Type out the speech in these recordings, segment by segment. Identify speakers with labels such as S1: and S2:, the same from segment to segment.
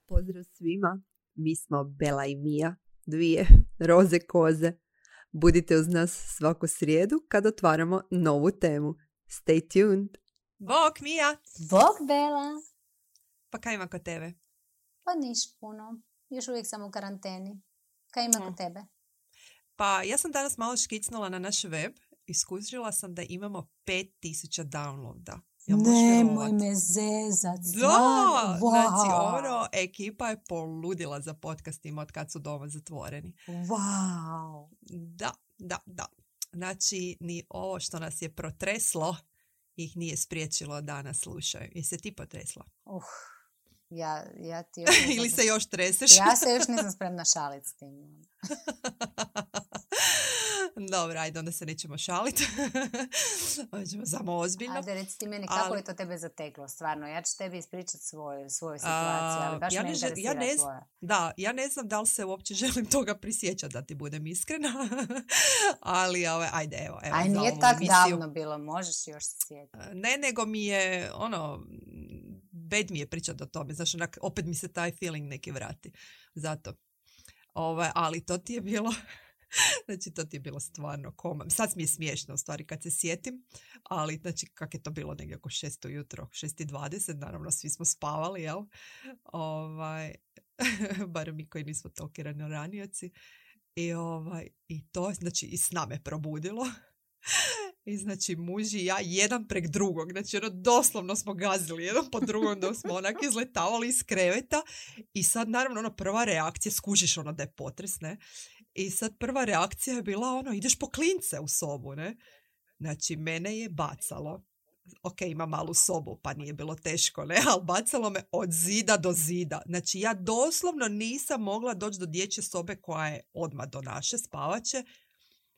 S1: Pozdrav svima, mi smo Bela i Mija, dvije roze koze. Budite uz nas svaku srijedu kad otvaramo novu temu. Stay tuned!
S2: Bok, Mija!
S3: Bok, Bela!
S2: Pa kaj ima kod tebe?
S3: Pa niš puno. Još uvijek sam u karanteni. Kaj ima kod tebe?
S2: Pa ja sam danas malo škicnula na naš web i skužila sam da imamo 5000 downloada.
S3: Nemoj me zezat.
S2: Da,
S3: wow.
S2: Znači ekipa je poludila za podcastima od kad su doma zatvoreni.
S3: Wow.
S2: Da. Znači, ni ovo što nas je protreslo ih nije spriječilo da nas slušaju. Jesi se ti potresla?
S3: Ja ti još nisam...
S2: Ili se još treseš?
S3: Ja se još nisam spremna šaliti s tim.
S2: Dobro, ajde, onda se nećemo šaliti. Hoćemo samo ozbiljno.
S3: Ajde, reci ti meni kako je to tebe zateklo, stvarno. Ja ću tebi ispričati svoju situaciju, ali baš me interesira tvoja.
S2: Da, ja ne znam da li se uopće želim toga prisjećati, da ti budem iskrena. Ali, ajde, evo.
S3: Aj, nije tak davno bilo, možeš još se sjetiti.
S2: Ne, nego mi je, bed mi je pričati o tome. Znaš, opet mi se taj feeling neki vrati. Zato. Ali to ti je bilo... Znači, to ti je bilo stvarno koma. Sad mi je smiješno, u stvari, kad se sjetim, ali, znači, kak je to bilo negdje oko 6 ujutro, 6:20, naravno, svi smo spavali, jel? Barem mi koji nismo toliki ranioci. I to, znači, i s nama je probudilo. I znači muž i ja jedan prek drugog, znači doslovno smo gazili jedan po drugom da smo onak izletavali iz kreveta i sad naravno prva reakcija, skužiš da je potres, ne? I sad prva reakcija je bila ideš po klince u sobu, ne? Znači mene je bacalo, ok, ima malu sobu pa nije bilo teško, ne? Ali bacalo me od zida do zida. Znači ja doslovno nisam mogla doći do dječje sobe koja je odmah do naše spavače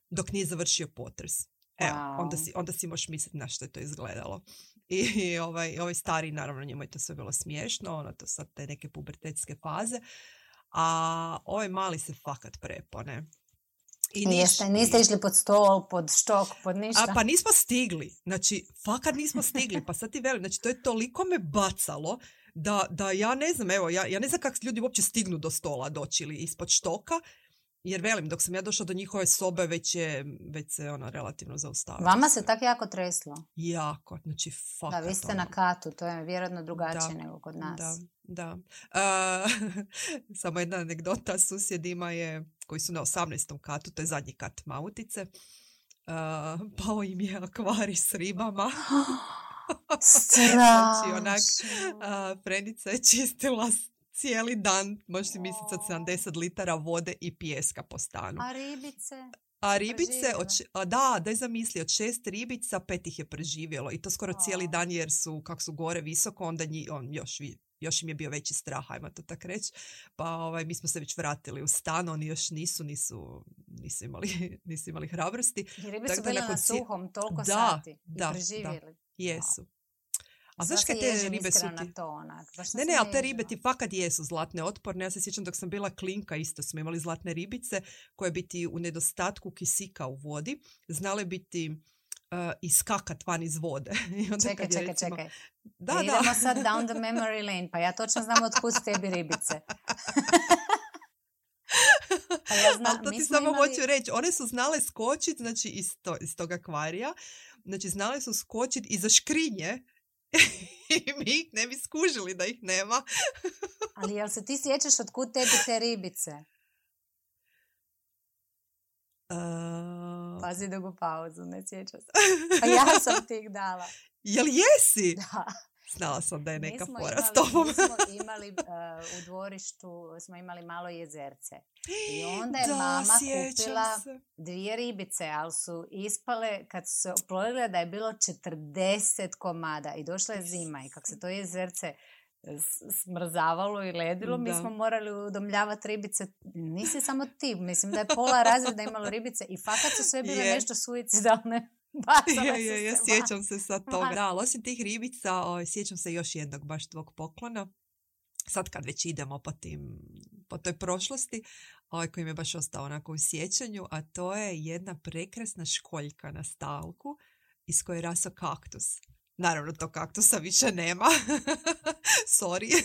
S2: dok nije završio potres. Evo, onda si možeš misliti na što je to izgledalo. I ovaj stari, naravno, njemu je to sve bilo smiješno, to sad te neke pubertetske faze, a ovaj mali se fakat prepone.
S3: Niste išli pod stol, pod štok, pod ništa?
S2: Pa nismo stigli, znači, fakat nismo stigli, pa sad ti velim, znači, to je toliko me bacalo, da ja ne znam, evo, ja ne znam kako ljudi uopće stignu do stola doći ili ispod štoka, jer velim, dok sam ja došla do njihove sobe, već se relativno zaustavila.
S3: Vama se tako jako treslo?
S2: Jako, znači fakat.
S3: Da, vi ste na katu, to je vjerojatno drugačije nego kod nas.
S2: Da. Samo jedna anegdota, susjedima je, koji su na 18. katu, to je zadnji kat Mautice, pao im je akvarij s ribama.
S3: Strašno.
S2: Znači, Frenica je čistila cijeli dan, možeš si misliti od 70 litara vode i pijeska po stanu.
S3: A ribice?
S2: Daj zamisli, od 6 ribica 5 ih je preživjelo i to skoro cijeli dan jer su, kak su gore visoko, onda još im je bio veći strah, ajmo to tak reći. Pa mi smo se već vratili u stan, oni još nisu imali hrabrosti.
S3: I ribi su bili na suhom toliko sati i preživjeli.
S2: Da, jesu. A znaš kaj te ribe su ti? Ne, ali te ribe ti fakat jesu zlatne otporne. Ja se sjećam dok sam bila klinka, isto smo imali zlatne ribice koje bi ti u nedostatku kisika u vodi znale biti iskakat van iz vode. I onda
S3: čekaj.
S2: Da.
S3: Idemo sad down the memory lane, pa ja točno znam otkud tebi ribice.
S2: Ali to ti samo hoću reći, one su znale skočiti, znači iz tog akvarija, znači znale su skočiti iza škrinje i mi ih ne bi skužili da ih nema.
S3: Ali jel se ti sjećaš otkud tebi te ribice? Pazi dugu pauzu, ne sjećam se. Pa ja sam ti ih dala.
S2: Jel jesi?
S3: Da.
S2: Znala sam da je neka fora s tobom.
S3: Mi smo imali u dvorištu, smo imali malo jezerce. I onda je mama kupila 2 ribice, ali su ispale, kad su se oplodile, da je bilo 40 komada. I došla je zima i kako se to jezerce smrzavalo i ledilo, mi smo morali udomljavati ribice. Nisi samo ti, mislim da je pola razreda imalo ribice i fakat su sve bile nešto suicidalne.
S2: Ja sjećam se sad toga. Da, ali osim tih ribica, sjećam se još jednog baš tvog poklona. Sad kad već idemo po toj prošlosti, koji mi je baš ostao onako u sjećanju, a to je jedna prekrasna školjka na stalku iz koje je rastao kaktus. Naravno, to kaktusa više nema. Sorry.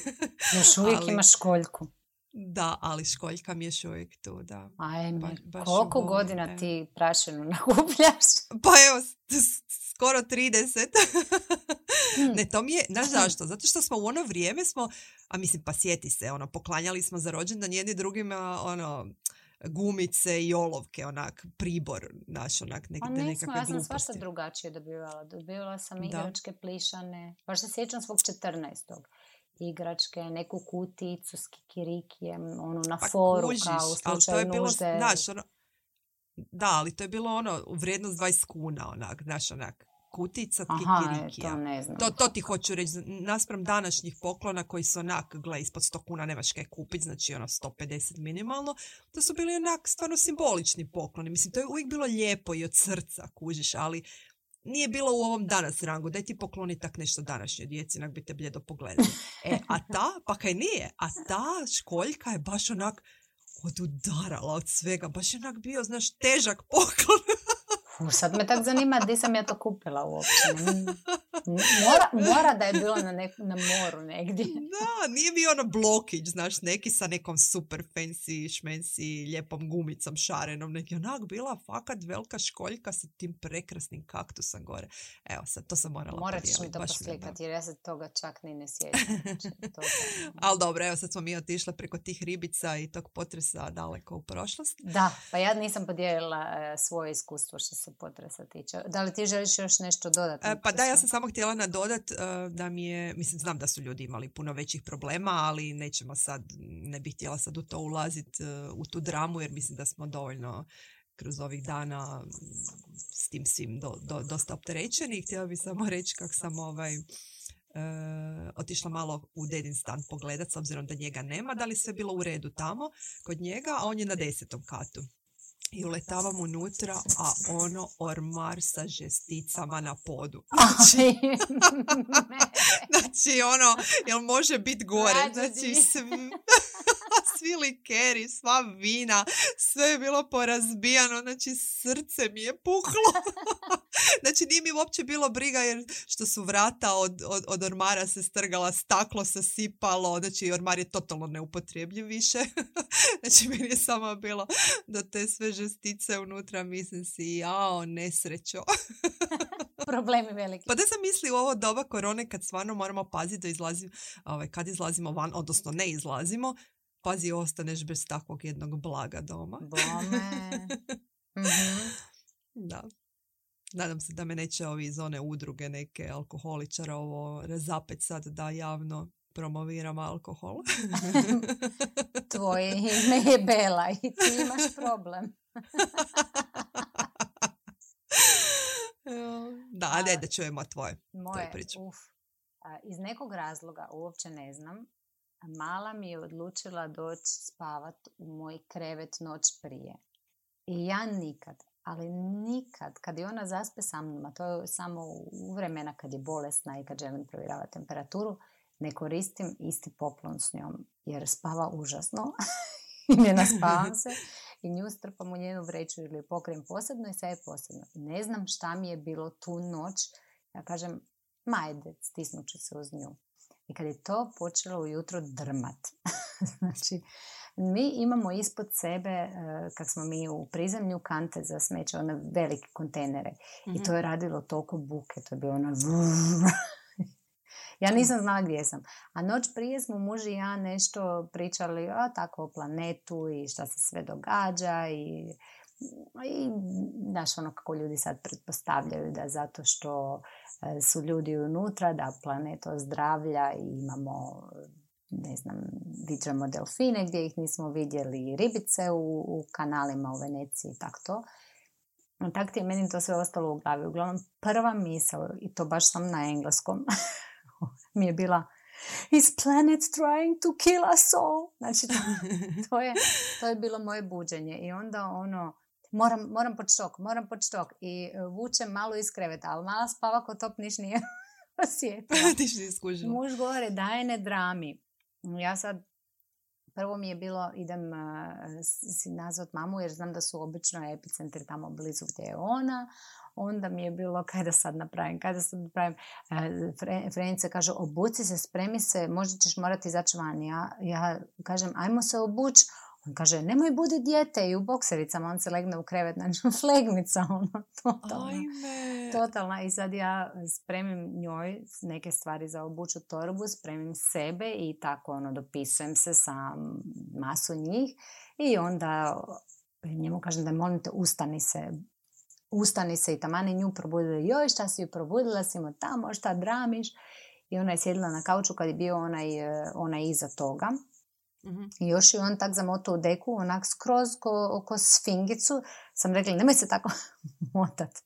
S3: Još uvijek imaš školjku.
S2: Da, ali školjka mi je još uvijek tu, da.
S3: Ajme,
S2: baš
S3: koliko godina ti prašinu nakupljaš?
S2: Pa evo, skoro 30. Ne, to mi je, znaš zašto? Zato što smo u ono vrijeme a mislim, pa sjeti se, poklanjali smo za rođendan jedni drugima, gumice i olovke, onak, pribor naš, onak, nekakve gluposti.
S3: Ja sam svašta drugačije dobivala. Dobivala sam igračke plišane. Baš se sjećam svog 14. igračke, neku kuticu s kikirikijem, na foru,
S2: kužiš,
S3: kao u slučaju nužde.
S2: Da, ali to je bilo vrijednost 20 kuna, onak, znaš, onak, kutica kikirikija.
S3: To ne znam.
S2: To ti hoću reći, naspram današnjih poklona koji su onak, gle, ispod 100 kuna nemaš kaj kupiti, znači 150 minimalno, to su bili onak stvarno simbolični pokloni. Mislim, to je uvijek bilo lijepo i od srca, kužiš, ali nije bilo u ovom danas rangu. Daj ti pokloni tak nešto današnjoj djeci, onak bi te bljedo pogledali. Pa kaj nije? A ta školjka je baš onak odudarala od svega. Baš je onak bio, znaš, težak poklon.
S3: Sad me tak zanima gdje sam ja to kupila uopće. Mora da je bilo na moru negdje.
S2: Da, nije bio blokić, znaš, neki sa nekom super fancy, šmensi, lijepom gumicom šarenom. Neki onak bila fakat velika školjka sa tim prekrasnim kaktusom gore. Evo, sad to sam morala
S3: podijeliti. Morat ću mi to poslikati jer ja se toga čak ni ne sjećam.
S2: Ali dobro, evo sad smo mi otišle preko tih ribica i tog potresa daleko u prošlost.
S3: Da, pa ja nisam podijelila svoje iskustvo što se potresa tiče. Da li ti želiš još nešto dodati?
S2: Pa da, ja sam samo htjela nadodat da mi je, mislim, znam da su ljudi imali puno većih problema, ali ne bih htjela sad u to ulaziti u tu dramu, jer mislim da smo dovoljno kroz ovih dana s tim svim dosta opterećeni. Htjela bih samo reći kako sam otišla malo u dedin stan pogledat, s obzirom da njega nema, da li sve bilo u redu tamo kod njega, a on je na 10. katu. I uletavam unutra, a ormar sa žesticama na podu. Znači, jel može biti gore? Znači, svi likeri, sva vina, sve je bilo porazbijano, znači srce mi je puklo. Znači, nije mi uopće bilo briga jer što su vrata od ormara se strgala, staklo se sipalo, znači ormar je totalno neupotrebljiv više. Znači, meni je samo bilo da te sve žestice unutra, mislim si, nesrećo.
S3: Problemi veliki.
S2: Pa da sam misli u ovo doba korone kad stvarno moramo paziti da izlazimo, kad izlazimo van, odnosno ne izlazimo, pazi, ostaneš bez takvog jednog blaga doma.
S3: Bome. Mm-hmm.
S2: Da. Nadam se da me neće ovi iz one udruge neke alkoholičara ovo razapet sad da javno promoviram alkohol.
S3: Tvoje ime je Bela i ti imaš problem.
S2: Da, da čujemo tvoje priče.
S3: Iz nekog razloga, uopće ne znam, mala mi je odlučila doći spavat u moj krevet noć prije. I ja nikad, kad je ona zaspe sa mnom, a to je samo u vremena kad je bolesna i kad želim provjeravati temperaturu, ne koristim isti poklon s njom, jer spava užasno i ne naspavam se i nju strpam u njenu vreću ili pokrijem posebno i sve je posebno. Ne znam šta mi je bilo tu noć, ja kažem, majde, stisnut ću se uz nju. I kad je to počelo ujutro drmat, znači, mi imamo ispod sebe, kak smo mi u prizemlju, kante za smeće, one velike kontejnere. Mm-hmm. I to je radilo toliko buke, to je bilo ono... Ja nisam znala gdje sam. A noć prije smo muž i ja nešto pričali tako o planetu i šta se sve događa i znaš, ono kako ljudi sad pretpostavljaju da zato što su ljudi unutra, da planet ozdravlja i imamo, ne znam, viđamo delfine gdje ih nismo vidjeli, ribice u kanalima u Veneciji i tako to. Tako ti je meni to sve ostalo u glavi. Uglavnom, prva misao, i to baš sam na engleskom, mi je bila Is planet trying to kill us all? Znači, to je bilo moje buđenje. I onda moram pod štok. I vučem malo iz kreveta, ali mala spava ko top niš nije osjetila. Muž govore, daj ne drami. Ja sad, prvo mi je bilo, idem si nazvat mamu, jer znam da su obično epicentri tamo blizu gdje je ona. onda mi je bilo kada sad napravim. Frenica kaže, obuci se, spremi se, možda ćeš morati izaći van. Ja kažem, ajmo se obući. On kaže, nemoj budi dijete i u boksericama. On se legne u krevet, znači flegmica, totalna. I sad ja spremim njoj neke stvari za obuću torbu, spremim sebe i tako dopisujem se sa masu njih. I onda njemu kažem da molim te, ustani se i tamani nju probudila. Joj, šta si ju probudila, si mu tamo, šta dramiš? I ona je sjedila na kauču kad je bio onaj iza toga. Mm-hmm. I još je on tak zamotao u deku, onak skroz ko sfingicu. Sam rekla, nemoj se tako motati.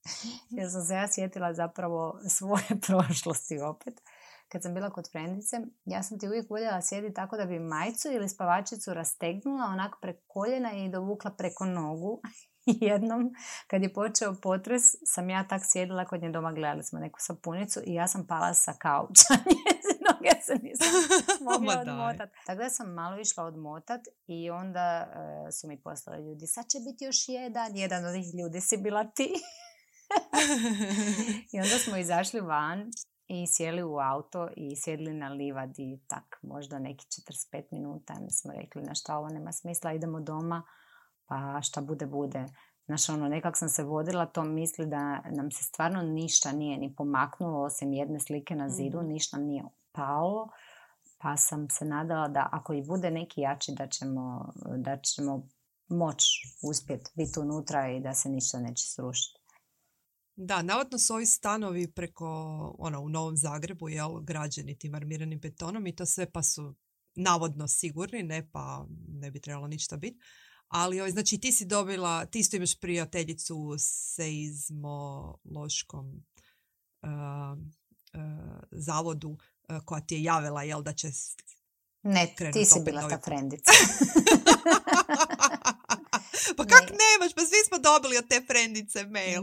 S3: Jer sam se ja sjetila zapravo svoje prošlosti opet. Kad sam bila kod frendice, ja sam ti uvijek voljela sjediti tako da bi majicu ili spavačicu rastegnula onak preko koljena i dovukla preko nogu. Jednom, kad je počeo potres, sam ja tak sjedila kod nje doma, gledali smo neku sapunicu i ja sam pala sa kauča. Noge se nisam mogla odmotati. Tako da sam malo išla odmotati i onda su mi poslali ljudi, sad će biti još jedan od tih ljudi si bila ti. I onda smo izašli van i sjeli u auto i sjedli na livadi, tak možda neki 45 minuta. Mi smo rekli, na šta ovo nema smisla, idemo doma, pa šta bude. Znaš, nekak sam se vodila to misli da nam se stvarno ništa nije ni pomaknulo, osim jedne slike na zidu, ništa nam nije palo, pa sam se nadala da ako i bude neki jači da ćemo moći uspjeti biti unutra i da se ništa neće srušiti.
S2: Da, navodno su ovi stanovi preko, u Novom Zagrebu, građeni tim armiranim betonom i to sve pa su navodno sigurni, ne pa ne bi trebalo ništa biti. Ali, znači, ti isto imaš prijateljicu u seizmološkom zavodu koja ti je javila, da će
S3: ne, ti si bila ta frendica.
S2: Pa kak nemaš? Pa svi smo dobili od te frendice mail.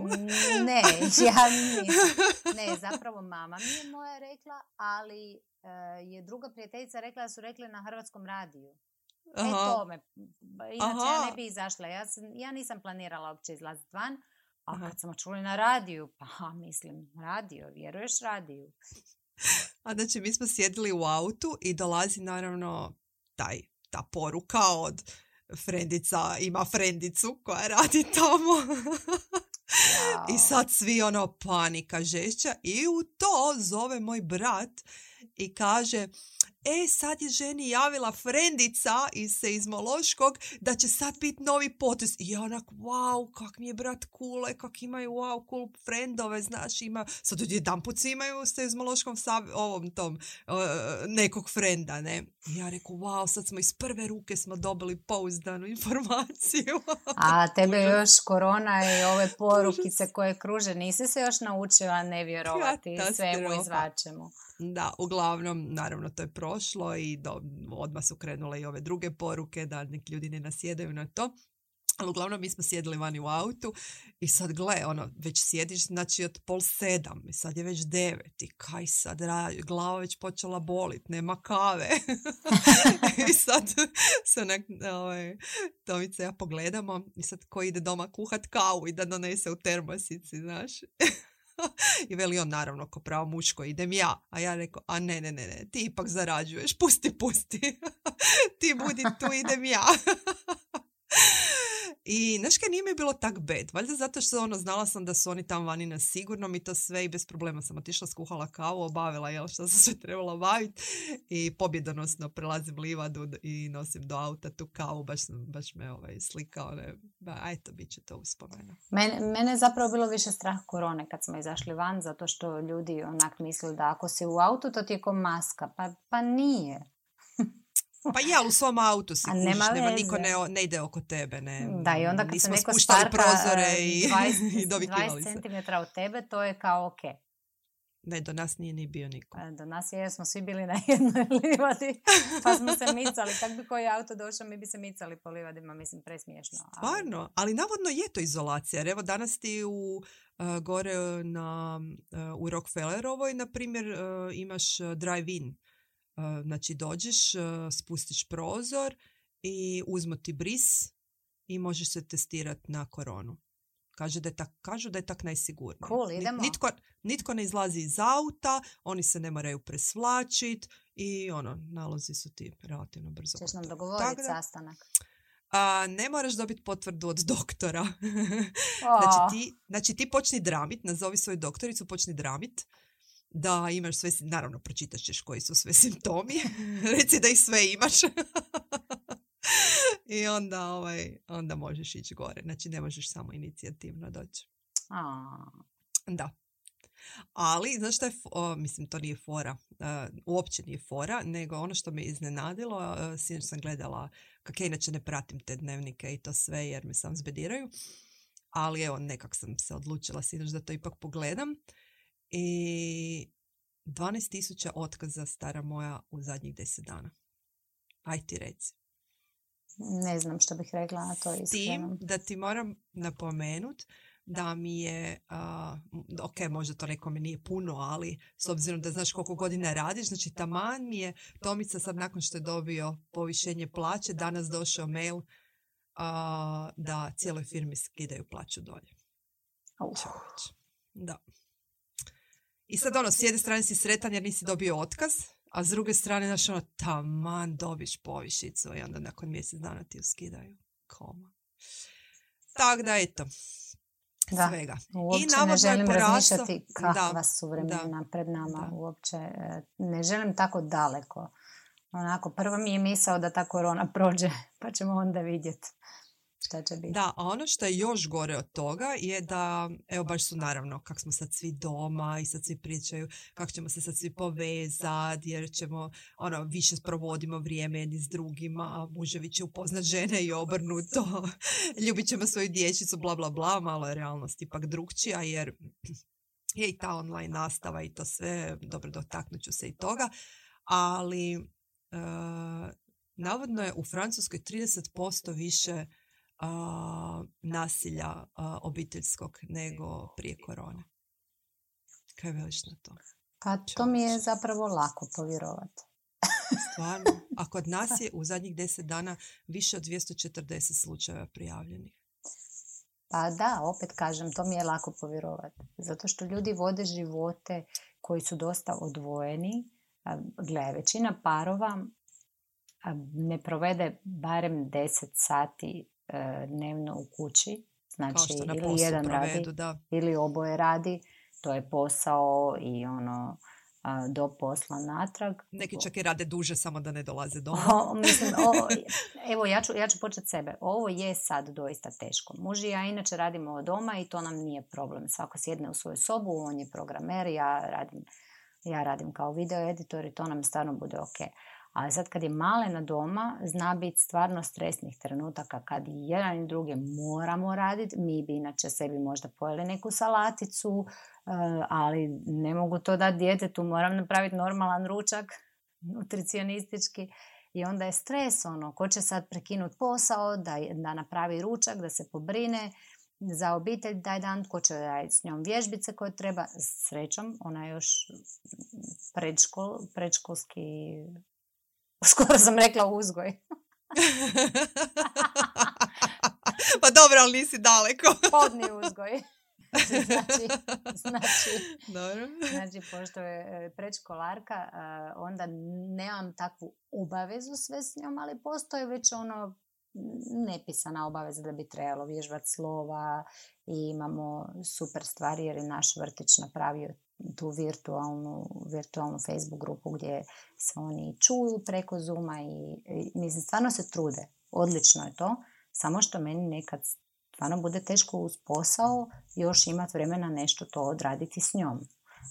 S3: Ne, ja nisam. Ne, zapravo mama mi je moja rekla, ali je druga prijateljica rekla da su rekli na Hrvatskom radiju. To me. Inače ja ne bi izašla. Ja nisam planirala uopće izlaziti van. A kad smo čuli na radiju, pa mislim, radio, vjeruješ radiju?
S2: A znači mi smo sjedili u autu i dolazi naravno ta poruka od frendica, ima frendicu koja radi tamo. Wow. I sad svi panika žešća i u to zove moj brat i kaže, sad je ženi javila frendica iz seizmološkog da će sad biti novi potres. I ja onak, wow, kak mi je brat cool, kak imaju cool frendove, znaš, sad odjedanput svi imaju u seizmološkom nekog frenda, ne? I ja reku, wow, sad smo iz prve ruke smo dobili pouzdanu informaciju.
S3: A tebe još korona i ove porukice koje kruže, nisi se još naučila ne vjerovati svemu izvačemu.
S2: Da, uglavnom, naravno, to je prošlo i odmah su krenule i ove druge poruke da neki ljudi ne nasjedaju na to. Ali uglavnom mi smo sjedili vani u autu i sad gle, već sjediš, znači od 6:30 i sad je već 9 i kaj sad glava već počela bolit, nema kave. I sad se Tomica ja pogledamo i sad ko ide doma kuhat kavu i da donese u termosici, znaš. I veli on, naravno, ko pravo muško, idem ja. A ja rekao, a ne, ti ipak zarađuješ, pusti. Ti budi tu, idem ja. I znaš kaj, nije mi bilo tak bad. Valjda zato što znala sam da su oni tamo vani na sigurnom i to sve i bez problema sam otišla, skuhala kavu, obavila što sam sve trebala obaviti i pobjedonosno prelazim livadu i nosim do auta tu kavu, baš me slikao. Eto, bit će to uspomena.
S3: Mene je zapravo bilo više strah korone kad smo izašli van, zato što ljudi onak misle da ako si u autu to ti je ko maska, pa nije.
S2: Pa ja, u svom autu si kužiš, nema niko ne ide oko tebe. Ne,
S3: da, i onda kad se neko starka 20 cm od tebe, to je kao ok.
S2: Ne, do nas nije ni bio niko.
S3: Do nas smo svi bili na jednoj livadi, pa smo se micali. Kak bi koji auto došao, mi bi se micali po livadima, mislim, presmiješno.
S2: Stvarno, ali navodno je to izolacija. Jer evo danas ti gore u Rockefellerovoj, na primjer, imaš drive-in. Znači dođeš, spustiš prozor i uzmu ti bris i možeš se testirati na koronu. Kažu da je tak najsigurnije.
S3: Cool, idemo.
S2: Nitko ne izlazi iz auta, oni se ne moraju presvlačiti i nalozi su ti relativno brzo.
S3: Ćeš nam dogovoriti sastanak?
S2: Ne moraš dobiti potvrdu od doktora.
S3: Oh.
S2: Znači ti počni dramit, nazovi svoju doktoricu, počni dramit da imaš sve, naravno pročitat ćeš koji su sve simptomi, reci da ih sve imaš. I onda možeš ići gore. Znači ne možeš samo inicijativno doći. Da. Ali, znaš šta je, mislim, to nije fora, uopće nije fora, nego ono što me iznenadilo, sinoć sam gledala, kako ja inače ne pratim te dnevnike i to sve jer me sam zbediraju, ali evo, nekak sam se odlučila sinoć da to ipak pogledam i 12.000 otkaza stara moja u zadnjih 10 dana. Aj ti reci.
S3: Ne znam što bih rekla na to iskreno.
S2: Tim da ti moram napomenut da mi je, ok, možda to nekome nije puno, ali s obzirom da znaš koliko godina radiš, znači taman mi je Tomica sad nakon što je dobio povišenje plaće, danas došao mail da cijeloj firmi skidaju plaću dolje. Da. I sad s jedne strane si sretan jer nisi dobio otkaz, a s druge strane, znaš, taman dobiš povišicu i onda nakon mjesec dana ti ju skidaju. Koma. Tako da, eto.
S3: Da,
S2: svega.
S3: Uopće ne želim razmišljati kakva su vremena pred nama. Uopće ne želim tako daleko. Onako, prvo mi je misao da ta korona prođe, pa ćemo onda vidjeti šta će biti.
S2: Da, a ono što je još gore od toga je da, evo baš su naravno, kak smo sad svi doma i sad svi pričaju kako ćemo se sad svi povezati jer ćemo, više provodimo vrijeme jedni s drugima, a muževi će upoznat žene i obrnuto, ljubit ćemo svoju dječicu, bla bla bla, malo je realnost ipak drugčija jer je i ta online nastava i to sve, dobro, dotaknut ću se i toga, ali navodno je u Francuskoj 30% više nasilja obiteljskog nego prije korone. Kaj veliš na to?
S3: Pa to mi je zapravo lako povjerovati.
S2: Stvarno? A kod nas je u zadnjih 10 dana više od 240 slučajeva prijavljenih.
S3: Pa da, opet kažem, to mi je lako povjerovati. Zato što ljudi vode živote koji su dosta odvojeni. Gle, većina parova ne provede barem 10 sati dnevno u kući. Znači, ili jedan provedu, radi, ili oboje radi. To je posao i do posla natrag.
S2: Neki čak i rade duže, samo da ne dolaze doma.
S3: Evo, ja ću početi sebe. Ovo je sad doista teško. Muž i ja inače radimo od doma i to nam nije problem. Svako sjedne u svoju sobu, on je programer, ja radim kao video editor i to nam stvarno bude ok. Ali sad kad je malena doma, zna biti stvarno stresnih trenutaka kad i jedan i drugi moramo raditi. Mi bi inače sebi možda pojeli neku salaticu, ali ne mogu to dati djetetu, moram napraviti normalan ručak, nutricionistički. I onda je stres, ko će sad prekinuti posao, da napravi ručak, da se pobrine za obitelj taj dan, ko će raditi s njom vježbice koje treba. Srećom, ona je još predškolski... Skoro sam rekla uzgoj.
S2: Pa dobro, ali nisi daleko.
S3: Podni uzgoj.
S2: Dobro.
S3: Znači, pošto je predškolarka, onda nemam takvu obavezu sve s njom, ali postoje već nepisana obaveza da bi trebalo vježbati slova i imamo super stvari jer je naš vrtić napravio tu virtualnu Facebook grupu gdje se oni čuju preko Zooma i mislim, stvarno se trude. Odlično je to, samo što meni nekad stvarno bude teško uz posao još imati vremena nešto to odraditi s njom.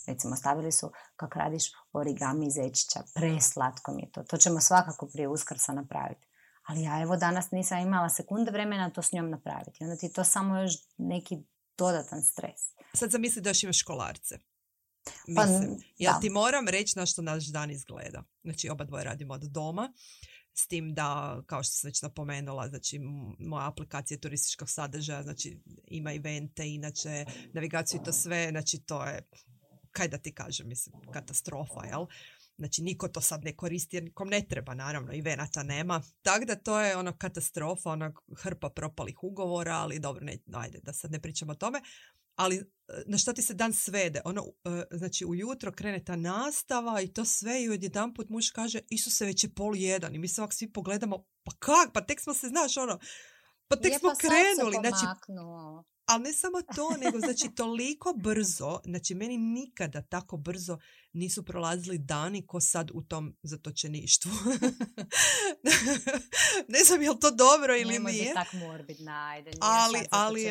S3: Recimo, stavili su kako radiš origami zečića, preslatko mi je to. To ćemo svakako prije Uskrsa napraviti. Ali ja evo danas nisam imala sekunde vremena to s njom napraviti. Onda ti to samo još neki dodatan stres.
S2: Sad zamisli da još imaš školarce. Mislim, ja ti moram reći na što naš dan izgleda. Znači, oba dvoje radimo od doma. S tim da, kao što sam već napomenula, znači, moja aplikacija turističkog sadržaja, znači, ima evente, inače, navigaciju i to sve, znači, to je, kaj da ti kažem, mislim, katastrofa, jel? Znači, niko to sad ne koristi jer nikom ne treba, naravno, i venata nema. Tako da to je ono katastrofa, ona hrpa propalih ugovora, ali dobro, ajde, da sad ne pričamo o tome. Ali na šta ti se dan svede? Znači, ujutro krene ta nastava i to sve i odjedanput muž kaže, Isuse, već je 12:30 i mi se ovak svi pogledamo, pa kak? Pa tek smo se, znaš, pa tek smo krenuli. Znači, ali ne samo to, nego znači toliko brzo, znači meni nikada tako brzo nisu prolazili dani ko sad u tom zatočeništvu. Ne znam je li to dobro ili
S3: Nemoj
S2: nije.
S3: biti tak morbidna, ajde.
S2: Ali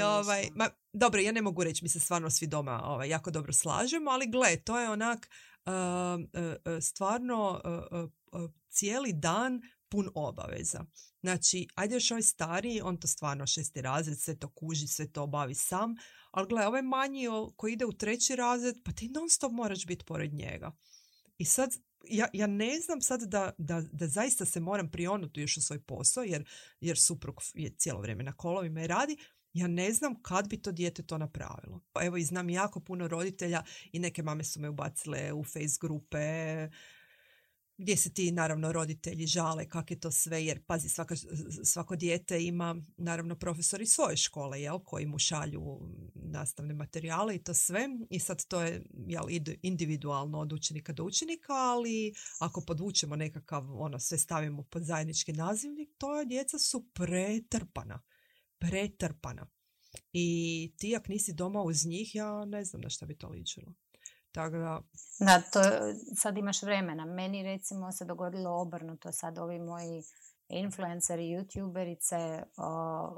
S2: dobro, ja ne mogu reći, mi se stvarno svi doma jako dobro slažemo, ali gle, to je onak stvarno cijeli dan pun obaveza. Znači, ajde još ovaj stariji, on to stvarno 6. razred, sve to kuži, sve to obavi sam, ali gle, ovaj manji koji ide u 3. razred, pa ti non stop moraš biti pored njega. I sad, ja ne znam sad da zaista se moram prionuti još u svoj posao, jer suprug je cijelo vrijeme na kolovima i radi, ja ne znam kad bi to dijete to napravilo. Evo, i znam jako puno roditelja i neke mame su me ubacile u face grupe, gdje se ti, naravno, roditelji žale kak je to sve, jer pazi, svako dijete ima, naravno, profesori svoje škole, koji mu šalju nastavne materijale i to sve. I sad to je individualno od učenika do učenika, ali ako podvučemo nekakav, sve stavimo pod zajednički nazivnik, to djeca su pretrpana. I ti ako nisi doma uz njih, ja ne znam na šta bi to ličilo.
S3: Da, to sad imaš vremena. Meni recimo se dogodilo obrnuto. Sad ovi moji influenceri, youtuberice,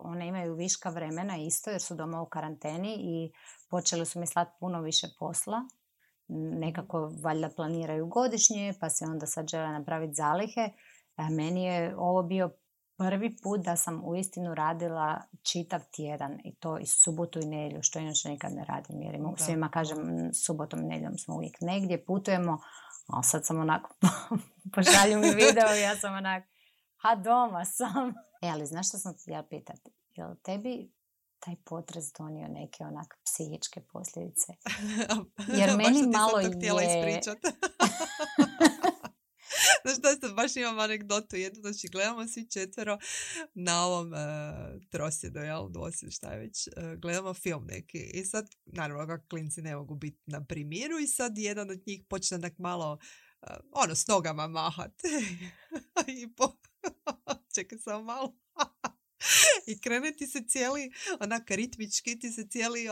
S3: one imaju viška vremena isto jer su doma u karanteni i počeli su mi slati puno više posla. Nekako valjda planiraju godišnje pa se onda sad žele napraviti zalihe. Meni je ovo bio prvi put da sam uistinu radila čitav tjedan i to i subotu i nedjelju, što inače nikad ne radim jer svima kažem subotom i nedjeljom smo uvijek negdje, putujemo, a sad sam onako pošalju mi video i ja sam onako doma sam. Ali znaš što sam htjela pitati? Jel tebi taj potres donio neke onak psihičke posljedice? Jer meni malo je...
S2: htjela ispričati. Znaš da baš imam anegdotu jednu, znači gledamo svi 4 na ovom trosjedu, dvosjed, šta je već, gledamo film neki i sad, naravno, kako klinci ne mogu biti na primiru i sad jedan od njih počne tak malo, s nogama mahat i čekaj samo malo. I krene ti se cijeli, onak ritmički, ti se cijeli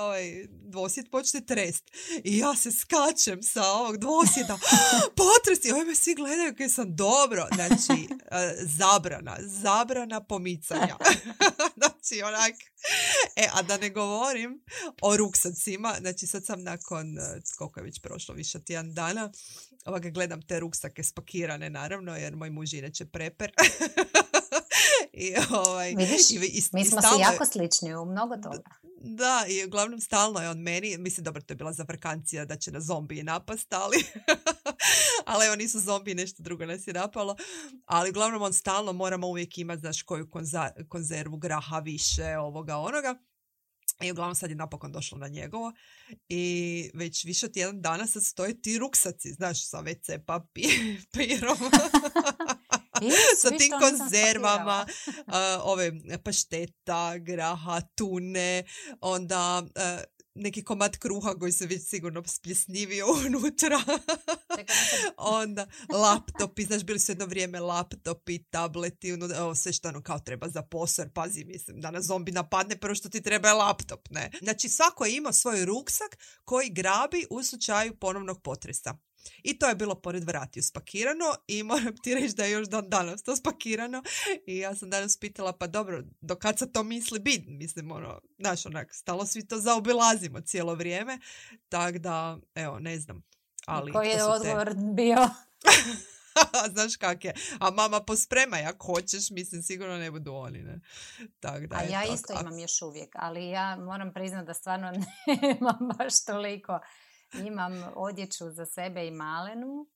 S2: dvosjed počne trest. I ja se skačem sa ovog dvosjeda. Potres! I me svi gledaju kaj sam dobro. Znači, zabrana pomicanja. Znači, onak. A da ne govorim o ruksacima. Znači, sad sam nakon, koliko je već prošlo, više od 1 dana, gledam te ruksake spakirane, naravno, jer moj muž inače preper.
S3: Vidiš, mi smo si jako slični u mnogo toga.
S2: Da, i uglavnom stalno je on meni, mislim, dobro, to je bila zafrkancija da će na zombiji napast, ali evo nisu zombiji, nešto drugo nas je napalo, ali uglavnom on stalno moramo uvijek imati, znaš, koju konzervu graha više, ovoga, onoga. I uglavnom sad je napokon došlo na njegovo i već više od 1 dana sad stoje ti ruksaci, znaš, sa WC papirom. Sa tim konzervama, ove pašteta, graha, tune, onda neki komad kruha koji se već sigurno spljesnivio unutra. Onda laptopi, znaš, bili su jedno vrijeme laptopi, tableti, sve što kao treba za posao, jer pazi, mislim, da nas zombi napadne, prvo što ti treba je laptop, ne? Znači, svako je imao svoj ruksak koji grabi u slučaju ponovnog potresa. I to je bilo pored vratiju spakirano i moram ti reći da je još dan danas to spakirano i ja sam danas pitala, pa dobro, do kad se to misli biti? Mislim, znaš, onak, stalo svi to zaobilazimo cijelo vrijeme, tako da, evo, ne znam. Ali
S3: koji je odgovor bio?
S2: Znaš kak je. A mama pospremaj ako hoćeš, mislim, sigurno ne budu oni, ne? Tak da,
S3: a ja isto imam još uvijek, ali ja moram priznati da stvarno nemam baš toliko. Imam odjeću za sebe i malenu,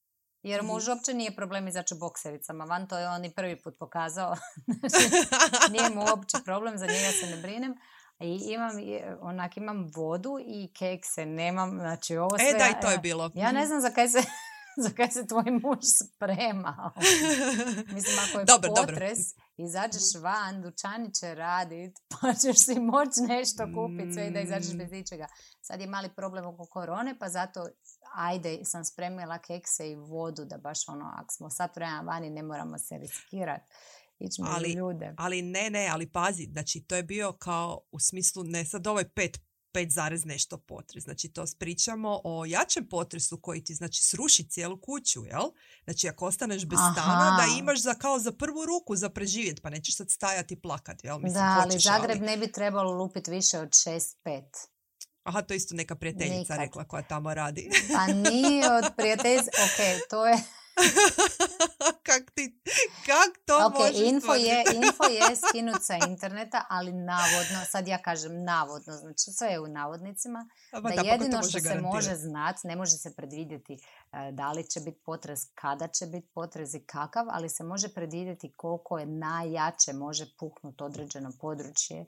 S3: jer muž uopće nije problem izaći u boksericama. Van to je on i prvi put pokazao. Nije mu uopće problem, za njega se ne brinem. I imam vodu i kekse, nemam, znači ovo sve...
S2: da, i to je bilo.
S3: Ja ne znam za kaj se za kaj se tvoj muž sprema. Mislim, ako je potres, izađeš van, dućani će radit, pa ćeš si moći nešto kupiti, sve i da izađeš bez ničega. Sad je mali problem oko korone, pa zato ajde sam spremila kekse i vodu, da baš ako smo sat vremena vani, ne moramo se riskirati.
S2: Ali ne, ali pazi, znači to je bio kao u smislu, ne sad ovaj 5 zarez nešto potres. Znači to pričamo o jačem potresu koji ti znači sruši cijelu kuću, jel? Znači ako ostaneš bez stana, da imaš kao za prvu ruku za preživjeti, pa nećeš sad stajati i plakat, jel? Mislim,
S3: da, ali Zagreb ne bi trebalo lupiti više od 6-5.
S2: Aha, to je isto neka prijateljica rekla koja tamo radi.
S3: Pa nije od prijateljica, to je...
S2: Kak to možeš
S3: info je skinut sa interneta, ali navodno, sad ja kažem navodno, znači sve je u navodnicima, da jedino što se može znati, ne može se predvidjeti da li će biti potres, kada će biti potres i kakav, ali se može predvidjeti koliko je najjače može puknuti određeno područje.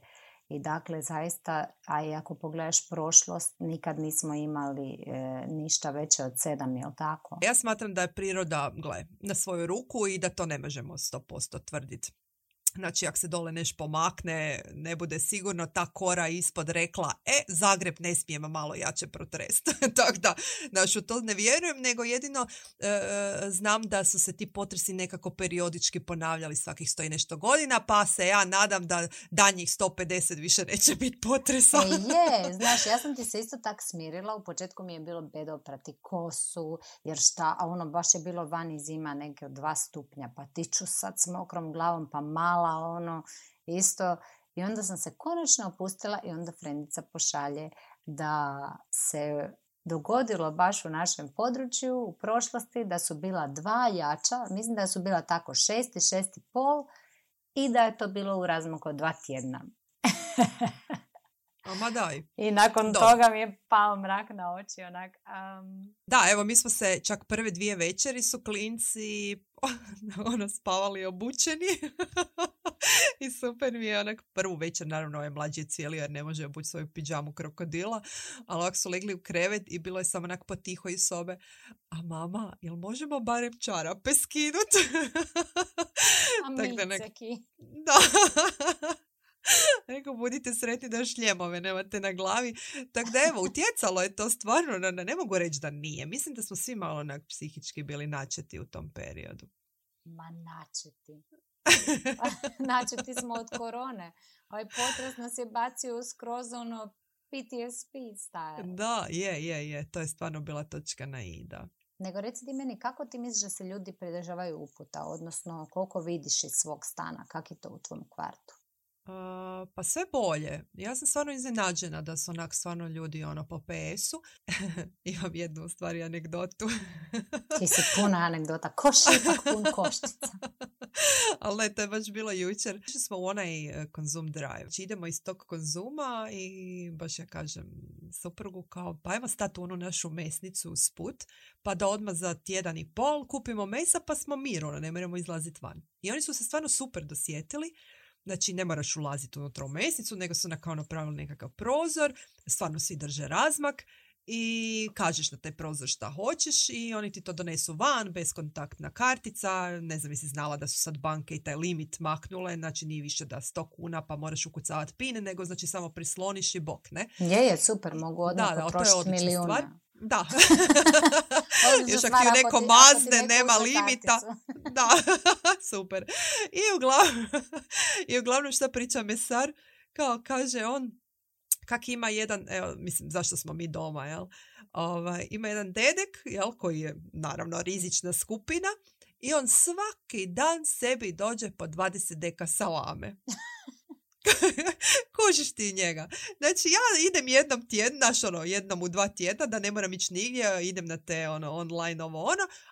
S3: I dakle, zaista, a i ako pogledaš prošlost, nikad nismo imali ništa veće od 7, jel tako?
S2: Ja smatram da je priroda, na svoju ruku i da to ne možemo 100% tvrditi. Znači, ako se dole nešto pomakne, ne bude sigurno ta kora ispod rekla, Zagreb ne smijemo malo jače protresti. Tako da, znači, u to ne vjerujem, nego jedino znam da su se ti potresi nekako periodički ponavljali svakih 100 i nešto godina, pa se ja nadam da danjih 150 više neće biti potresa.
S3: Znaš, ja sam ti se isto tak smirila, u početku mi je bilo bedo prati kosu, jer baš je bilo vani zima neke od 2 stupnja, pa tiču sad s mokrom glavom, pa malo isto, i onda sam se konačno opustila i onda frendica pošalje da se dogodilo baš u našem području u prošlosti da su bila 2 jača, mislim da su bila tako 6 i 6,5 i da je to bilo u razmaku od 2 tjedna.
S2: Ma daj.
S3: I nakon toga mi je pao mrak na oči.
S2: Da, evo mi smo se čak prve 2 večeri su klinci spavali obučeni i super mi je prvu večer, naravno ovaj mlađi je cijeli jer ne može obući svoju pidžamu krokodila, ali ovak su legli u krevet i bilo je samo potiho iz sobe, a mama, jel možemo barem čarape skinuti?
S3: A miceki.
S2: Da. Rekao, budite sretni da šljemove nemate na glavi. Tako da evo, utjecalo je to stvarno, ne mogu reći da nije. Mislim da smo svi malo psihički bili načeti u tom periodu.
S3: Ma načeti. Načeti smo od korone. Ovaj potres nas je bacio skroz PTSD style.
S2: Da, je. To je stvarno bila točka na i, da.
S3: Nego reci ti meni, kako ti misliš da se ljudi pridržavaju uputa? Odnosno, koliko vidiš iz svog stana? Kak je to u tvom kvartu?
S2: Pa sve bolje. Ja sam stvarno iznenađena da su stvarno ljudi po PS-u. Imam jednu u stvari anegdotu.
S3: Ti si puna anegdota. Koš ipak pun koštica.
S2: Ali ne, to je baš bilo jučer. Išli smo u onaj Konzum Drive. Znači idemo iz tog Konzuma i baš ja kažem suprugu kao, pa ajmo stati u onu našu mesnicu usput, pa da odmah za 1,5 tjedan kupimo mesa, pa smo mir, ne moramo izlaziti van. I oni su se stvarno super dosjetili. Znači, ne moraš ulaziti unutra u mesnicu, nego su kao napravili nekakav prozor, stvarno svi drže razmak i kažeš na taj prozor šta hoćeš i oni ti to donesu van, bezkontaktna kartica, ne znam, jesi znala da su sad banke i taj limit maknule, znači nije više da 100 kuna pa moraš ukucavati PIN, nego znači samo prisloniš i bok, ne?
S3: Je, super, mogu odmah potrošiti milijuna. Stvar.
S2: Da. Još ako ti neko mazne, nema limita. Da, super. I uglavnom šta priča mesar, kao kaže on, kak ima jedan, evo, mislim, zašto smo mi doma, jel? Ima jedan dedek, jel, koji je naravno rizična skupina i on svaki dan sebi dođe po 20 deka salame. Kužiš ti njega. Znači ja idem jednom tjedno, jednom u 2 tjedna da ne moram ići nigdje, idem na te online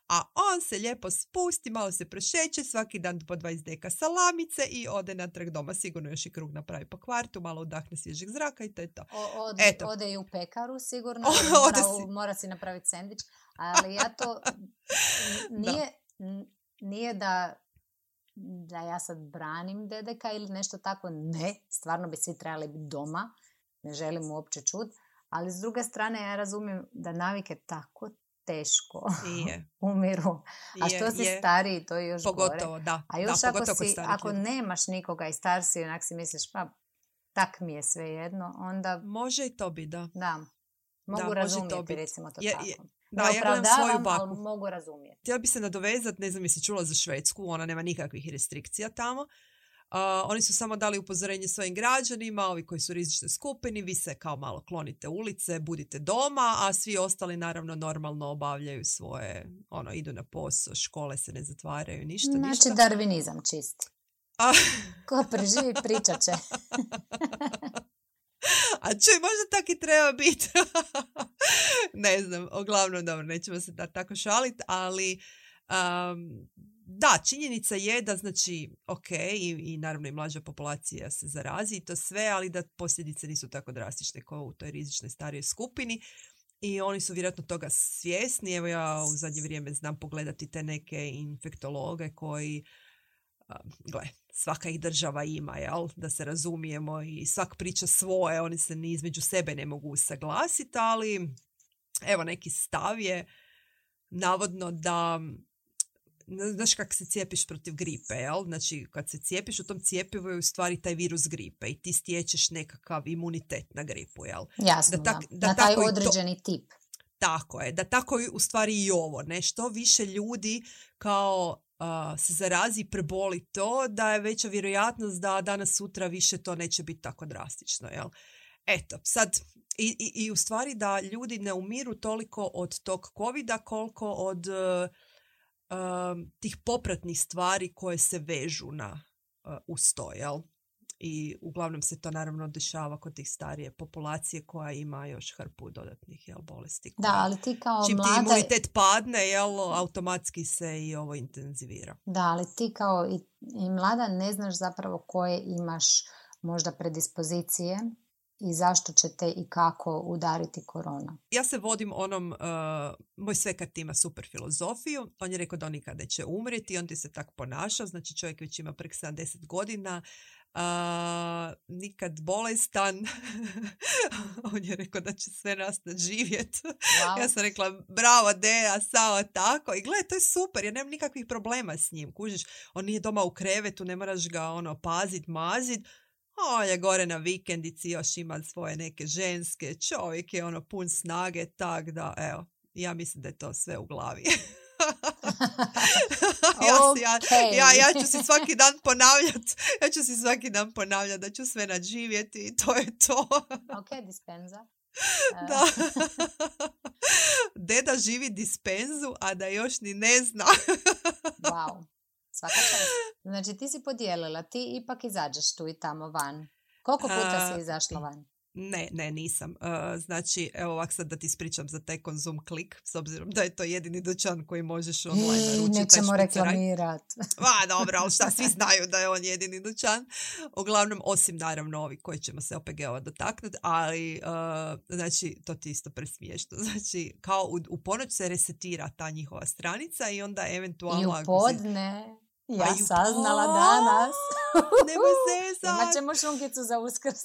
S2: a on se lijepo spusti, malo se prošeće, svaki dan po 20 deka salamice i ode natrag doma, sigurno još i krug napravi po kvartu, malo udahne svježeg zraka i to je to.
S3: Ode i u pekaru sigurno, mora si napraviti sendvič, ali ja to nije da ja sad branim dedeka ili nešto tako, ne, stvarno bi svi trebali biti doma, ne želim uopće čuti, ali s druge strane ja razumijem da navike tako teško
S2: Je.
S3: umiru. A što si stariji, to je još
S2: pogotovo,
S3: gore.
S2: Da.
S3: A još
S2: da,
S3: ako nemaš nikoga i star si, onak si misliš, pa tak mi je sve jedno, onda...
S2: Može i to biti, da.
S3: Da, mogu razumjeti, recimo to tako.
S2: Da, ja gledam svoju baku.
S3: Ali mogu razumjeti.
S2: Htjela bi se nadovezati, ne znam jesi čula za Švedsku, ona nema nikakvih restrikcija tamo. Oni su samo dali upozorenje svojim građanima, ovi koji su u rizičnoj skupini, vi se kao malo klonite ulice, budite doma, a svi ostali naravno normalno obavljaju svoje, idu na posao, škole se ne zatvaraju, ništa.
S3: Znači darvinizam čisti. Ko preživi pričat će.
S2: A čuj, možda tak i treba biti. Ne znam, uglavnom dobro, nećemo se tako šaliti, ali da, činjenica je da znači, ok, i naravno i mlađa populacija se zarazi i to sve, ali da posljedice nisu tako drastične kao u toj rizičnoj starijoj skupini i oni su vjerojatno toga svjesni. Evo ja u zadnje vrijeme znam pogledati te neke infektologe koji gle, svaka ih država ima, jel? Da se razumijemo i svak priča svoje, oni se ni između sebe ne mogu usaglasiti, ali evo neki stav je navodno da znaš kako se cijepiš protiv gripe, jel? Znači kad se cijepiš u tom cjepivu je u stvari taj virus gripe i ti stječeš nekakav imunitet na gripu, jel?
S3: Jasno, da. Na taj određeni tip.
S2: Tako je, da tako u stvari i ovo, ne? Što više ljudi kao se zarazi i preboli to, da je veća vjerojatnost da danas sutra više to neće biti tako drastično, jel? Eto, sad i u stvari da ljudi ne umiru toliko od tog covida koliko od tih popratnih stvari koje se vežu uz to, jel? I uglavnom se to naravno dešava kod tih starije populacije koja ima još hrpu dodatnih, jel, bolesti.
S3: Da, ali ti kao
S2: čim
S3: mlada...
S2: ti imunitet padne, jel, automatski se i ovo intenzivira.
S3: Da, ali ti kao i mlada ne znaš zapravo koje imaš možda predispozicije i zašto će te i kako udariti korona.
S2: Ja se vodim moj svekat ima super filozofiju. On je rekao da on nikada neće umrijeti, on ti se tako ponaša, znači čovjek već ima prek 70 godina, nikad bolestan. On je rekao da će sve nas nadživjeti. Wow. Ja sam rekla bravo Deja, sao tako. I gle, to je super, ja nemam nikakvih problema s njim. Kužiš, on nije doma u krevetu, ne moraš ga pazit, mazit. On je gore na vikendici, još ima svoje neke ženske, čovjek je pun snage, tak da, evo, ja mislim da je to sve u glavi. Ja ću si svaki dan ponavljati da ću sve nadživjeti i to je to.
S3: Ok, dispenza.
S2: Da. Deda živi dispenzu, a da još ni ne zna.
S3: Wow. Svaka čast. Znači ti si podijelila, ti ipak izađeš tu i tamo van. Koliko puta si izašla van?
S2: Ne, nisam. Znači, evo ovak sad da ti ispričam za taj Konzum Klik, s obzirom da je to jedini dućan koji možeš online naručiti.
S3: Nećemo reklamirati.
S2: Dobro, ali šta, svi znaju da je on jedini dućan. Uglavnom, osim naravno ovi koji ćemo se OPG-ova dotaknuti, ali znači, to ti isto presmiješno. Znači, kao u ponoć se resetira ta njihova stranica i onda eventualno...
S3: I u podne... Ja saznala danas.
S2: Nemoj zezat.
S3: Imat ćemo šunkicu za Uskrs.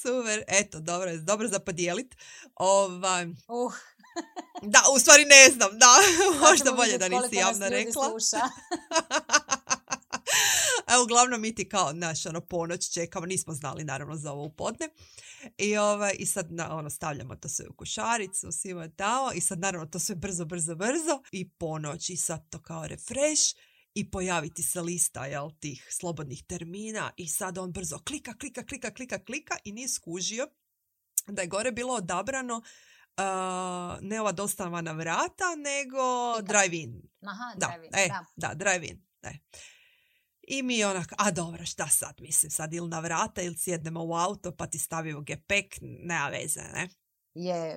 S2: Super. Eto, dobro za podijelit. Da, u stvari ne znam. Da, možda bolje da nisi javno rekla. A uglavnom mi ti kao ponoć čekamo, nismo znali naravno za ovo u podne. I sad stavljamo to sve u košaricu, svima dao i sad naravno to sve brzo i ponoć i sad to kao refresh i pojaviti se lista, jel, tih slobodnih termina i sad on brzo klika i nije skužio da je gore bilo odabrano ne ova dostava na vrata, nego drive-in.
S3: Aha, drive-in,
S2: da, drive-in. I mi dobro, šta sad, mislim, sad ili na vrata ili sjednemo u auto pa ti stavimo gepek, nema veze, ne?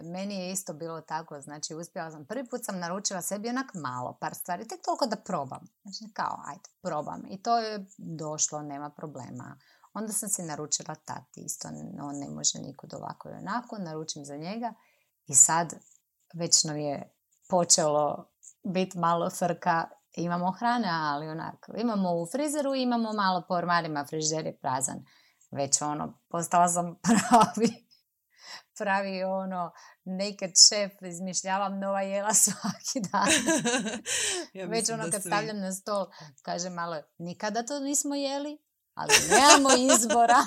S3: Meni je isto bilo tako, znači uspjela sam, prvi put sam naručila sebi onak malo, par stvari, tek toliko da probam, znači kao, ajde, probam i to je došlo, nema problema. Onda sam si naručila tati, isto on ne može nikud ovako i onako, naručim za njega i sad već nam je počelo biti malo frka. Imamo hrane, ali onako, imamo u frizeru, imamo malo po ormarima, frižider je prazan. Već postala sam pravi naked chef, izmišljavam nova jela svaki dan.
S2: Ja
S3: Već
S2: mislim da
S3: kad
S2: svi.
S3: stavljam na stol, kaže malo, nikada to nismo jeli, ali nemamo izbora.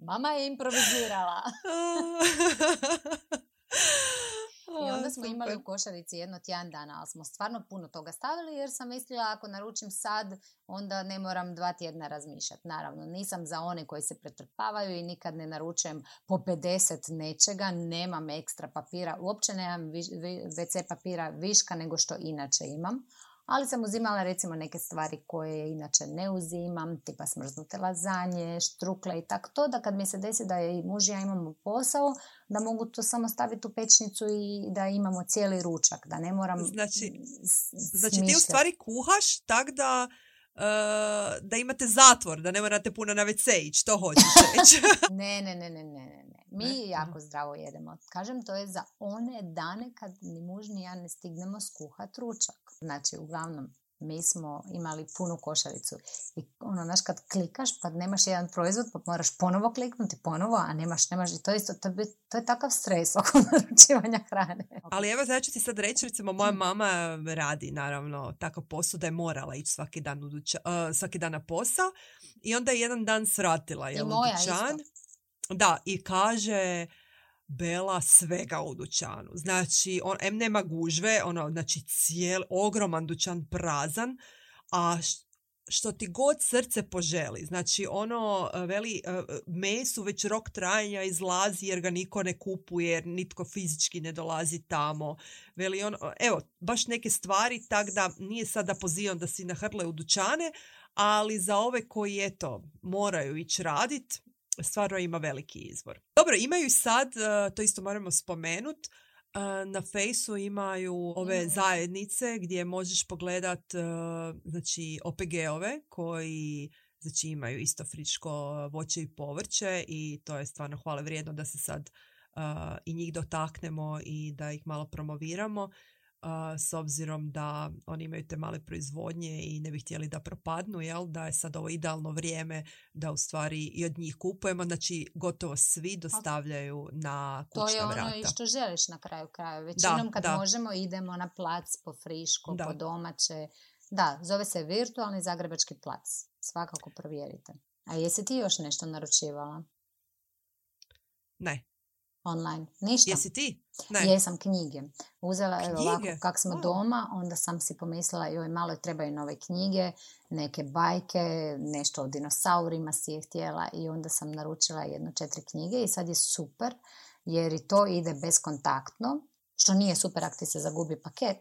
S3: Mama je improvizirala. I onda smo imali u košarici jedno tjedan dana, ali smo stvarno puno toga stavili jer sam mislila ako naručim sad, onda ne moram 2 tjedna razmišljati. Naravno, nisam za one koji se pretrpavaju i nikad ne naručujem po 50 nečega, nemam ekstra papira, uopće nemam WC papira viška nego što inače imam. Ali sam uzimala recimo neke stvari koje inače ne uzimam, tipa smrznute lazanje, štrukle i tako to, da kad mi se desi da je i muž i ja imamo posao, da mogu to samo staviti u pečnicu i da imamo cijeli ručak, da ne moram
S2: Znači ti u stvari kuhaš tak da imate zatvor, da ne morate puno na WC ići, to hoćeš reći.
S3: Ne. Mi jako zdravo jedemo. Kažem, to je za one dane kad ni muž ni ja ne stignemo skuhat ručak. Znači, uglavnom, mi smo imali punu košaricu. I znaš, kad klikaš pa nemaš jedan proizvod, pa moraš ponovo kliknuti, ponovo, a nemaš. I to je isto, to je takav stres oko naručivanja hrane.
S2: Ali evo, znači ti sad reći, recimo, moja mama radi, naravno, takav posao da je morala ići svaki dan na posao i onda je jedan dan svratila u dućan. Da, i kaže, Bela, svega u dućanu. Znači, nema gužve, znači ogroman dućan prazan, a što ti god srce poželi. Znači, veli, mesu već rok trajanja izlazi jer ga niko ne kupuje, jer nitko fizički ne dolazi tamo. Veli, evo, baš neke stvari, tak da nije sad da pozivam da si nahrle u dućane, ali za ove koji, eto, moraju ići radit, stvarno ima veliki izbor. Dobro, imaju sad, to isto moramo spomenuti, na Fejsu imaju ove zajednice gdje možeš pogledat znači, OPG-ove koji znači, imaju isto friško voće i povrće i to je stvarno hvale vrijedno da se sad i njih dotaknemo i da ih malo promoviramo. S obzirom da oni imaju te male proizvodnje i ne bi htjeli da propadnu, jel? Da je sad ovo idealno vrijeme da u stvari i od njih kupujemo, znači gotovo svi dostavljaju na kućna vrata.
S3: To je ono i što želiš na kraju kraja. Većinom kad možemo idemo na plac po friško, po domaće. Da, zove se Virtualni Zagrebački plac. Svakako provjerite. A jesi ti još nešto naručivala?
S2: Ne.
S3: Online. Ništa.
S2: Jesi ti? Ne.
S3: Jesam, knjige. Uzela, evo ovako, kak smo doma, onda sam si pomislila, joj, malo trebaju nove knjige, neke bajke, nešto o dinosaurima si je htjela i onda sam naručila 4 knjige i sad je super, jer i to ide bezkontaktno, što nije super ako ti se zagubi paket.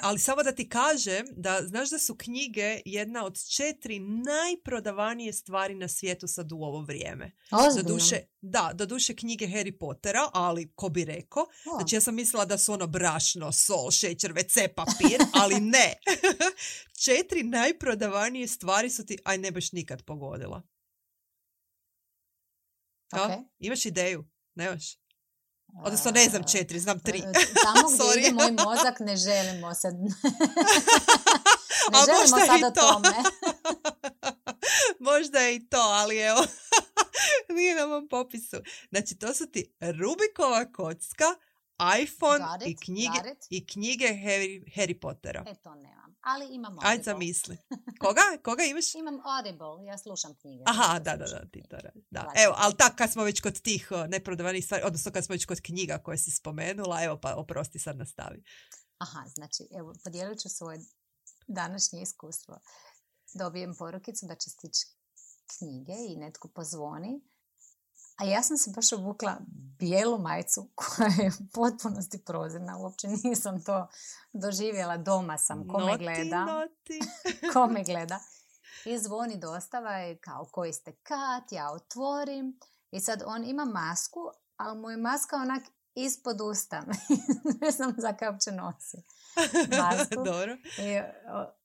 S2: Ali samo da ti kažem da znaš da su knjige jedna od 4 najprodavanije stvari na svijetu sad u ovo vrijeme. Doduše knjige Harry Pottera, ali ko bi rekao. Znači ja sam mislila da su brašno, sol, šećer, WC papir, ali ne. 4 najprodavanije stvari su ti, ne baš nikad pogodila.
S3: Okay.
S2: Imaš ideju? Nemaš? Odnosno ne znam 4, znam 3.
S3: Tamo gdje ide moj mozak ne želimo se... ne želimo sad o tome.
S2: Možda je i to, ali evo, nije na mom popisu. Znači to su ti Rubikova kocka, iPhone i knjige Harry Pottera.
S3: To nemam, ali imam Audible.
S2: Ajde zamisli. Koga imaš?
S3: Imam Audible, ja slušam knjige.
S2: Aha, da, ti to radi. Da. Evo, ali tako kad smo već kod tih neprodavanih stvari, odnosno kad smo već kod knjiga koje si spomenula, evo pa oprosti sad nastavi.
S3: Aha, znači, evo, podijelit ću svoje današnje iskustvo. Dobijem porukicu da će stići knjige i netko pozvoni. A ja sam se baš obukla bijelu majicu koja je u potpunosti prozirna. Uopće nisam to doživjela. Doma sam. Ko me gleda. I zvoni dostava i kao koji ste Kat, ja otvorim. I sad on ima masku, ali mu je maska onak ispod usta. Ne znam za kaj uopće nosi masku.
S2: Dobro.
S3: I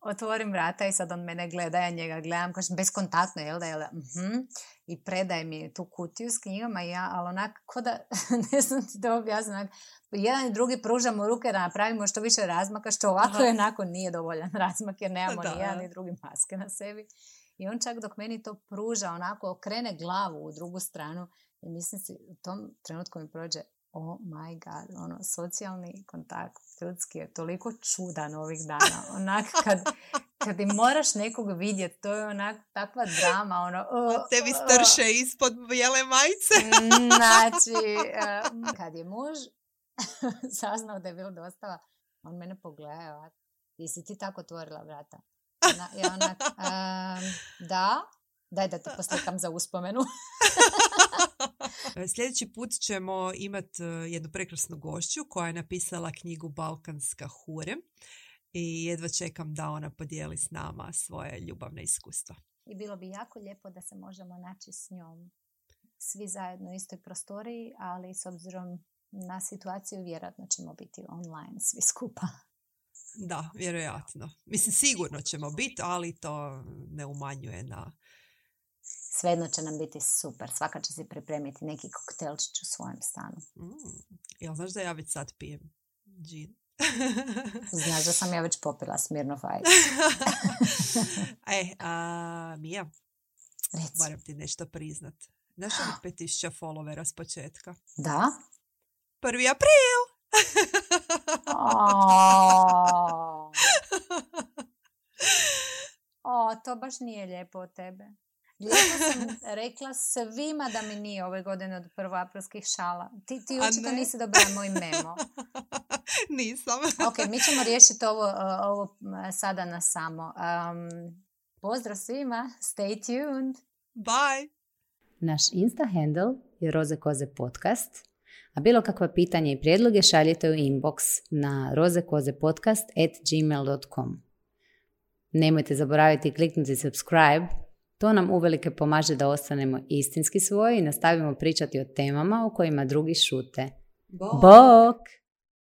S3: otvorim vrata i sad on mene gleda, ja njega gledam, kažem, bezkontaktno, jel da? I predaje mi tu kutiju s knjigama i ja, ali onak, ko da, ne znam ti to objasniti, jedan i drugi pružamo ruke da napravimo što više razmaka, što ovako i onako nije dovoljan razmak, jer nemamo ni jedan ni drugi maske na sebi. I on čak dok meni to pruža, onako okrene glavu u drugu stranu i mislim si, u tom trenutku mi prođe, oh my god, ono, socijalni kontakt ljudski je toliko čudan ovih dana. Onak, kad im moraš nekog vidjeti, to je onak takva drama. Ono,
S2: tebi strše ispod bijele majice.
S3: Znači, kad je muž saznao da je bilo dostava, on mene pogledao, jesi ti tako otvorila vrata? Ja onak, da, daj da te poslikam za uspomenu.
S2: Sljedeći put ćemo imati jednu prekrasnu gošću koja je napisala knjigu Balkanska hure i jedva čekam da ona podijeli s nama svoje ljubavne iskustva.
S3: I bilo bi jako lijepo da se možemo naći s njom svi zajedno u istoj prostoriji, ali s obzirom na situaciju vjerojatno ćemo biti online svi skupa.
S2: Da, vjerojatno. Mislim, sigurno ćemo biti, ali to ne umanjuje na...
S3: Svejedno će nam biti super. Svaka će si pripremiti neki koktelčić u svojem stanu.
S2: Jel znaš da ja već sad pijem džin?
S3: Znaš da sam ja već popila Smirnoff Ice.
S2: Mija,
S3: reci.
S2: Moram ti nešto priznat. Znaš li 5000 followera s početka?
S3: Da?
S2: 1. april!
S3: To baš nije lijepo od tebe. Lijepo sam rekla svima da mi nije ove godine od prvoaprilskih šala. Ti očito nisi dobila moj memo.
S2: Nisam.
S3: Ok, mi ćemo riješiti ovo sada na samo. Pozdrav svima. Stay tuned.
S2: Bye.
S3: Naš Insta handle je Roze Koze podcast, a bilo kakva pitanja i prijedloge šaljite u inbox na rozekozepodcast@gmail.com. Nemojte zaboraviti kliknuti subscribe. To nam uvelike pomaže da ostanemo istinski svoji i nastavimo pričati o temama o kojima drugi šute. Bok!